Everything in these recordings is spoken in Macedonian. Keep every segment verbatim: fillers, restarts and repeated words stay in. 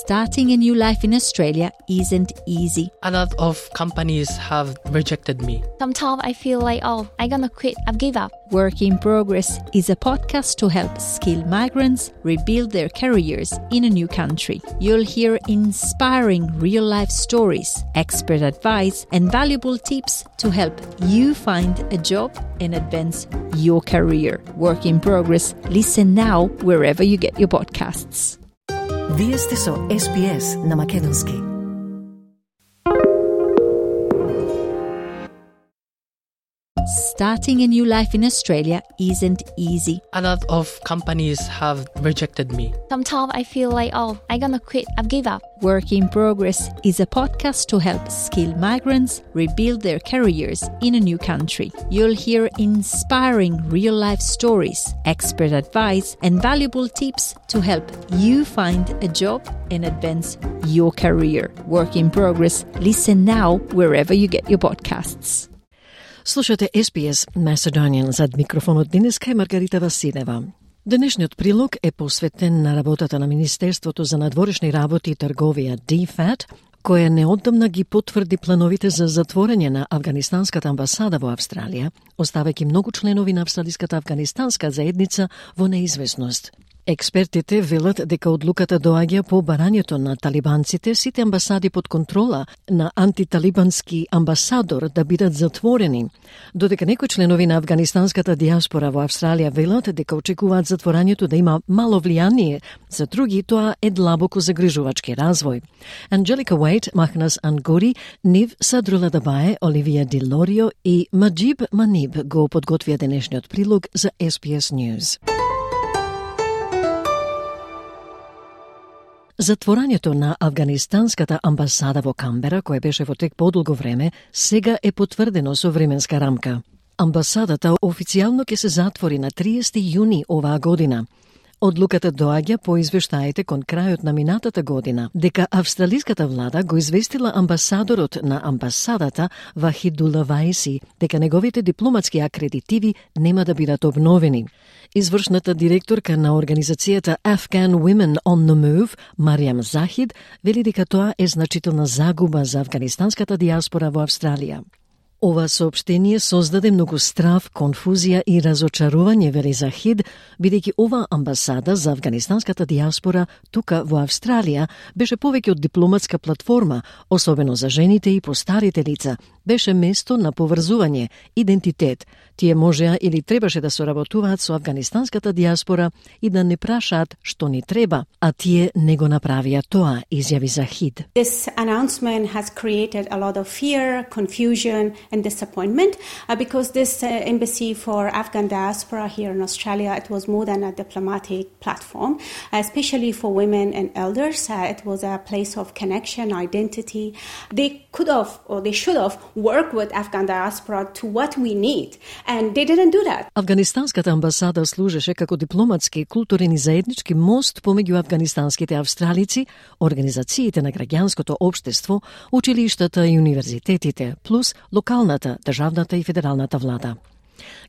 Starting a new life in Australia isn't easy. A lot of companies have rejected me. Sometimes I feel like, oh, I'm gonna quit, I've give up. Work in Progress is a podcast to help skilled migrants rebuild their careers in a new country. You'll hear inspiring real-life stories, expert advice, and valuable tips to help you find a job and advance your career. Work in Progress. Listen now wherever you get your podcasts. Вие сте со Ес Би Ес на Македонски. Starting a new life in Australia isn't easy. A lot of companies have rejected me. Sometimes I feel like, oh, I'm gonna quit, I've give up. Work in Progress is a podcast to help skilled migrants rebuild their careers in a new country. You'll hear inspiring real-life stories, expert advice, and valuable tips to help you find a job and advance your career. Work in Progress. Listen now wherever you get your podcasts. Слушате Ес Би Ес Macedonian, зад микрофонот денеска е Маргарита Василева. Денешниот прилог е посветен на работата на Министерството за надворешни работи и трговија Ди Фат, која неодамна ги потврди плановите за затворање на Авганистанската амбасада во Австралија, оставајќи многу членови на австралиската афганистанска заедница во неизвестност. Експертите велат дека одлуката доаѓа по барањето на талибанците сите амбасади под контрола на антиталибански амбасадор да бидат затворени, додека некои членови на афганистанската диаспора во Австралија велат дека очекуваат затворањето да има мало влијание, за други тоа е длабоко загрижувачки развој. Анджелика Уейт, Махнас Ангори, Нив Садрула Дабае, Оливија Ди Лорио и Маджиб Маниб го подготвија денешниот прилог за Ес Би Ес News. Затворањето на Авганистанската амбасада во Камбера, кое беше во тек подолго време, сега е потврдено со временска рамка. Амбасадата официјално ќе се затвори на триесети јуни оваа година. Одлуката доаѓа по извештаите кон крајот на минатата година, дека австралиската влада го известила амбасадорот на амбасадата Вахидула Ваиси дека неговите дипломатски акредитиви нема да бидат обновени. Извршната директорка на организацијата Afghan Women on the Move, Мариам Захид, вели дека тоа е значителна загуба за афганистанската диаспора во Австралија. Ова соопштение создаде многу страв, конфузија и разочарување, вели Захид, бидејќи ова амбасада за афганистанската диаспора тука во Австралија беше повеќе од дипломатска платформа, особено за жените и постарите лица, беше место на поврзување, идентитет. Тие можеа или требаше да соработуваат со афганистанската диаспора и да не прашаат што ни треба, а тие не го направија тоа, изјави Захид. This announcement has created a lot of fear, confusion and disappointment uh, because this uh, embassy for Afghan diaspora here in Australia, it was more than a diplomatic platform, uh, especially for women and elders. Uh, it was a place of connection, identity. They could have or they should have worked with Afghan diaspora to what we need. And they didn't do that. Афганистанската амбасада служеше како дипломатски, културен и заеднички мост помеѓу афганистанските австралици, организациите на граѓанското општество, училиштата и универзитетите, плюс локалната, државната и федералната влада.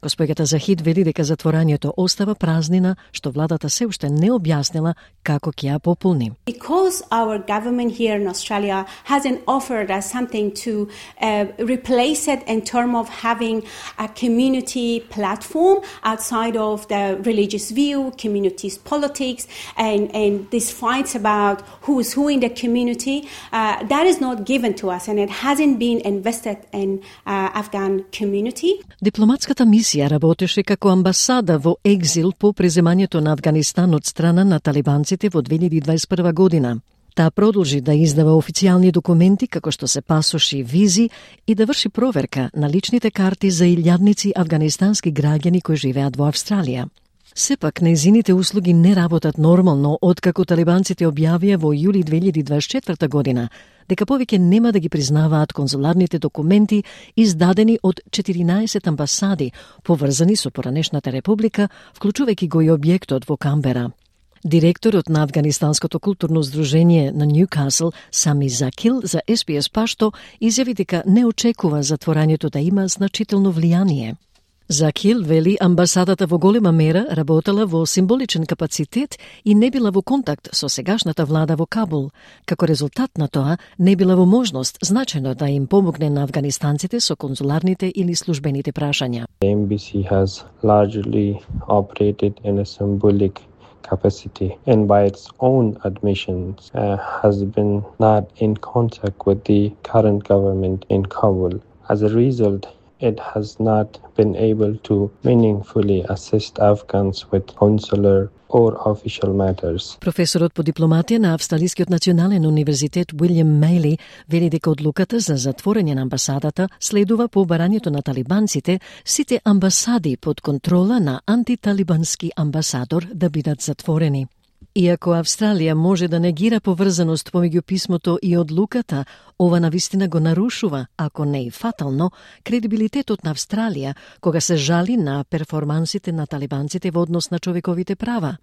Госпоѓата Захид вели дека затворањето остава празнина, што владата се уште не објаснила како ќе ја пополни. Because our government here in Australia hasn't offered us something to uh, replace it in terms of having a community platform outside of the religious view, communities politics, and, and these fights about who is who in the community, uh, that is not given to us and it hasn't been invested in uh, Afghan community. Дипломатската мисија работеше како амбасада во екзил по преземањето на Авганистан од страна на талибанците во две илјади и дваесет и прва година. Таа продолжи да издава официјални документи како што се пасоши, визи и да врши проверка на личните карти за илјадници афганистански граѓани кои живеат во Австралија. Сепак, нејзините услуги не работат нормално откако талибанците објавија во јули две илјади и дваесет и четврта година дека повеќе нема да ги признаваат конзуларните документи издадени од четиринаесет амбасади поврзани со поранешната република, вклучувајќи го и објектот во Камбера. Директорот на Афганистанското културно здружение на Ньюкасл, Сами Закил, за Ес Би Ес Пашто изјави дека не очекува затворањето да има значително влијание. Захил вели амбасадата во голема мера работела во символичен капацитет и не била во контакт со сегашната влада во Кабул. Како резултат на тоа, не била во можност значајно да им помогне на афганистанците со конзуларните или службените прашања. The embassy has largely operated in a symbolic capacity and by its own admissions uh, has been not in contact with the current government in Kabul. As a result, it has not been able to meaningfully assist Afghans with consular or official matters. Професорот по дипломатија на Австралискиот национален универзитет Уилјам Мејли вели дека одлуката за затворање на амбасадата следува по барањето на талибанците сите амбасади под контрола на антиталибански амбасадор да бидат затворени. Иако Австралија може да негира поврзаност помеѓу писмото и одлуката, ова навистина го нарушува, ако не и фатално, кредибилитетот на Австралија кога се жали на перформансите на талибанците во однос на човековите права.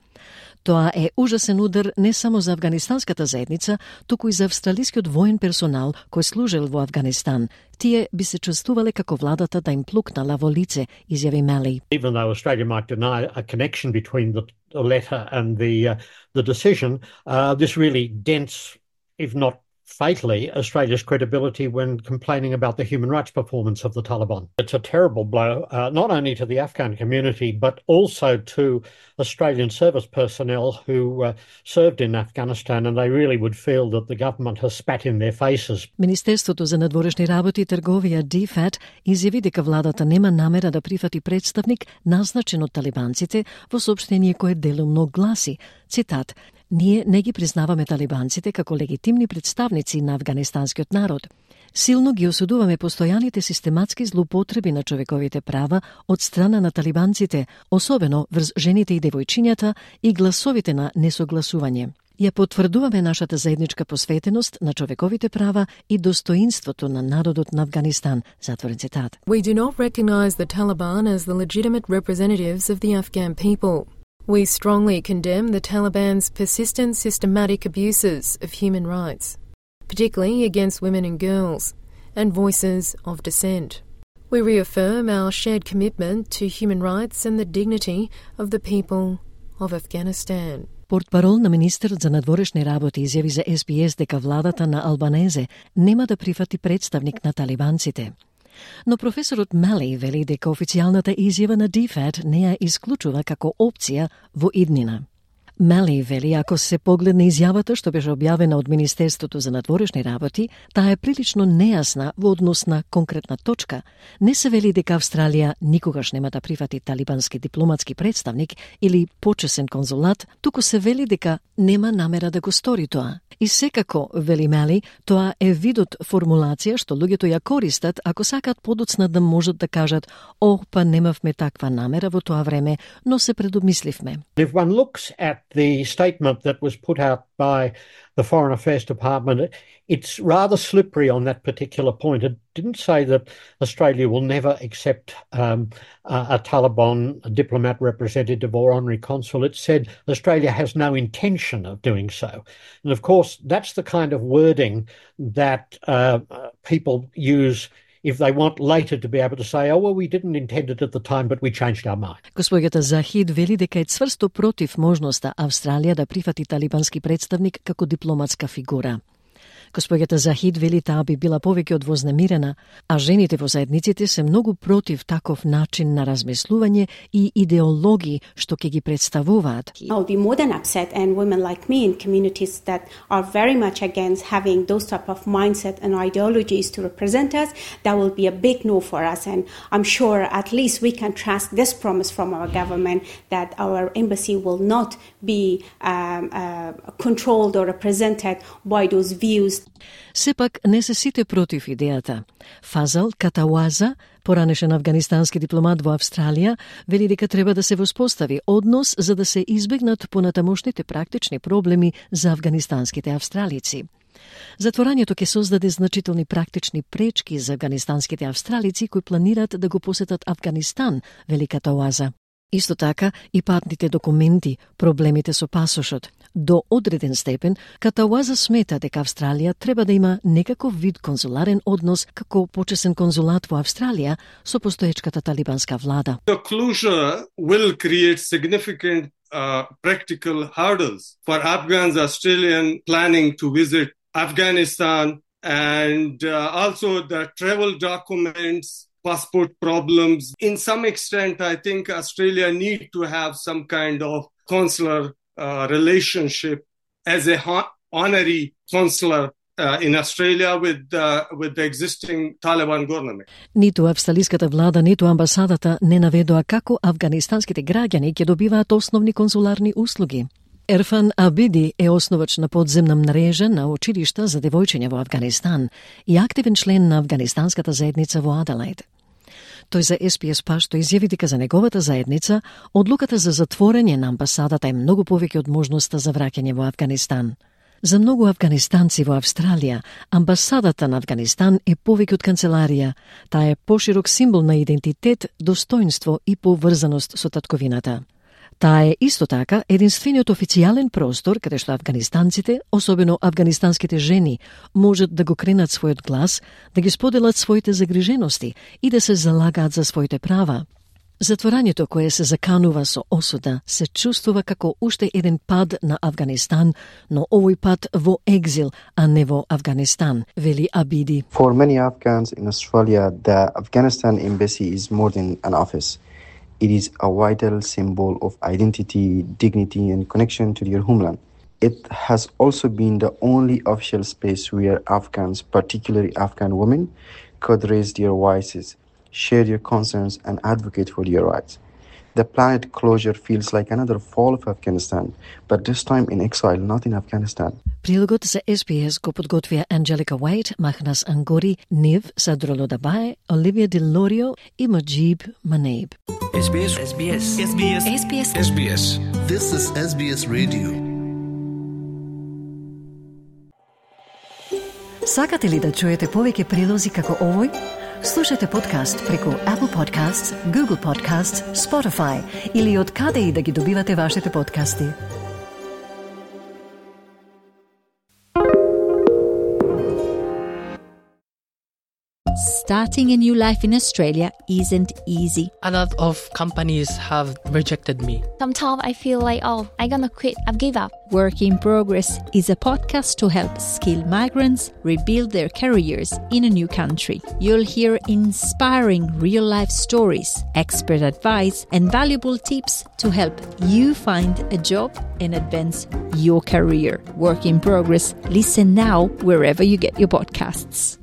Тоа е ужасен удар не само за афганистанската заедница, туку и за австралискиот воен персонал кој служел во Афганистан. Тие би се чувствувале како владата да им плукнала во лице, изјави Мели. Even though Australia might deny a connection between the letter and the uh, the decision, uh, this really dents, if not fatally, Australia's credibility when complaining about the human rights performance of the Taliban. It's a terrible blow, uh, not only to the Afghan community, but also to Australian service personnel who uh, served in Afghanistan, and they really would feel that the government has spat in their faces. Министерството за надворешни работи и трговија Ди Еф А Т изјави дека владата нема намера да прифати представник назначен од талибанците во соопштение кое делумно гласи, цитат, "Ние не ги признаваме талибанците како легитимни представници на афганистанскиот народ. Силно ги осудуваме постојаните систематски злоупотреби на човековите права од страна на талибанците, особено врз жените и девојчињата и гласовите на несогласување. Ја потврдуваме нашата заедничка посветеност на човековите права и достоинството на народот на Афганистан", затворен цитат. We do not recognize the Taliban as the legitimate representatives of the Afghan people. We strongly condemn the Taliban's persistent systematic abuses of human rights, particularly against women and girls, and voices of dissent. We reaffirm our shared commitment to human rights and the dignity of the people of Afghanistan. Портпарол на министерот за надворешни работи изјави за Ес Би Ес дека владата на Албанезе нема да прифати представник на талибанците. Но професорот Мели вели дека официјалната изјава на Ди Еф А Т не ја исклучува како опција во иднина. Мели вели ако се погледне изјавата што беше објавена од Министерството за надворешни работи, таа е прилично нејасна во однос на конкретна точка. Не се вели дека Австралија никогаш нема да прифати талибански дипломатски представник или почесен конзулат, туку се вели дека нема намера да го стори тоа. И секако, вели Мели, тоа е видот формулација што луѓето ја користат ако сакаат подоцна да можат да кажат "О, па немавме таква намера во тоа време, но се предомисливме." If one looks at the statement that was put out by the Foreign Affairs Department, it's rather slippery on that particular point. It didn't say that Australia will never accept um, a, a Taliban a diplomat representative or honorary consul. It said Australia has no intention of doing so. And of course, that's the kind of wording that uh, people use if they want later to be able to say, oh, well, we didn't intend it at the time, but we changed our mind. Госпоѓата Захид вели дека е цврсто против можноста Австралија да прифати талибански представник како дипломатска фигура. Госпоѓата Захид вели таа би била повеќе од вознемирена, а жените во заедниците се многу против таков начин на размислување и идеологии што ќе ги представуваат. I'll be more than upset, and women like me in communities that are very much against having those type of mindset and ideologies to represent us, that will be a big no for us, and I'm sure at least we can trust this promise from our government that our embassy will not be um, uh, controlled or represented by those views. Сепак не се сите против идејата. Фазал Катауаза, поранешен афганистански дипломат во Австралија, вели дека треба да се воспостави однос за да се избегнат понатамошните практични проблеми за афганистанските австралици. Затворањето ќе создаде значителни практични пречки за афганистанските австралици кои планираат да го посетат Афганистан, вели Катауаза. Исто така и патните документи, проблемите со пасошот. До одреден степен, Катауаза смета дека Австралија треба да има некаков вид конзуларен однос како почесен конзулат во Австралија со постоечката талибанска влада. The closure will create significant uh, practical hurdles for Afghans Australian planning to visit Afghanistan, and uh, also the travel documents, passport problems. In some extent, I think Australia need to have some kind of consular uh, relationship as a ho- honorary consular uh, in Australia with the, with the existing Taliban government. Ниту австралиската влада, ниту амбасадата не наведоа како афганистанските граѓани ќе добиваат основни консуларни услуги. Ерфан Абиди е основач на подземна мрежа на училишта за девојчиња во Афганистан и активен член на афганистанската заедница во Аделаид. Тој за Ес Би Ес Пашто изјави дека за неговата заедница одлуката за затворање на амбасадата е многу повеќе од можноста за враќање во Афганистан. За многу афганистанци во Австралија, амбасадата на Афганистан е повеќе од канцеларија. Таа е поширок символ на идентитет, достоинство и поврзаност со татковината. Таа е исто така единствениот официјален простор каде што афганистанците, особено афганистанските жени, можат да го кренат својот глас, да ги споделат своите загрижености и да се залагаат за своите права. Затворањето кое се заканува со осуда се чувствува како уште еден пад на Афганистан, но овој пат во екзил, а не во Афганистан, вели Абиди. For many Afghans in Australia, the Afghanistan embassy is more than an office. It is a vital symbol of identity, dignity, and connection to your homeland. It has also been the only official space where Afghans, particularly Afghan women, could raise their voices, share their concerns, and advocate for their rights. The planned closure feels like another fall of Afghanistan, but this time in exile, not in Afghanistan. Прилогот за Ес Би Ес го подготвија Анджелика Уајт, Махнас Ангори, Нив, Садроло Дабае, Оливија Дел Лорио и Маджиб Манейб. Ес Би Ес. Ес Би Ес. Ес Би Ес. Ес Би Ес. Ес Би Ес. This is Ес Би Ес Radio. Сакате ли да чуете повеќе прилози како овој? Слушате подкаст преку Apple Podcasts, Google Podcasts, Spotify или од каде и да ги добивате вашите подкасти. Starting a new life in Australia isn't easy. A lot of companies have rejected me. Sometimes I feel like, oh, I'm gonna quit, I've give up. Work in Progress is a podcast to help skilled migrants rebuild their careers in a new country. You'll hear inspiring real-life stories, expert advice, and valuable tips to help you find a job and advance your career. Work in Progress. Listen now wherever you get your podcasts.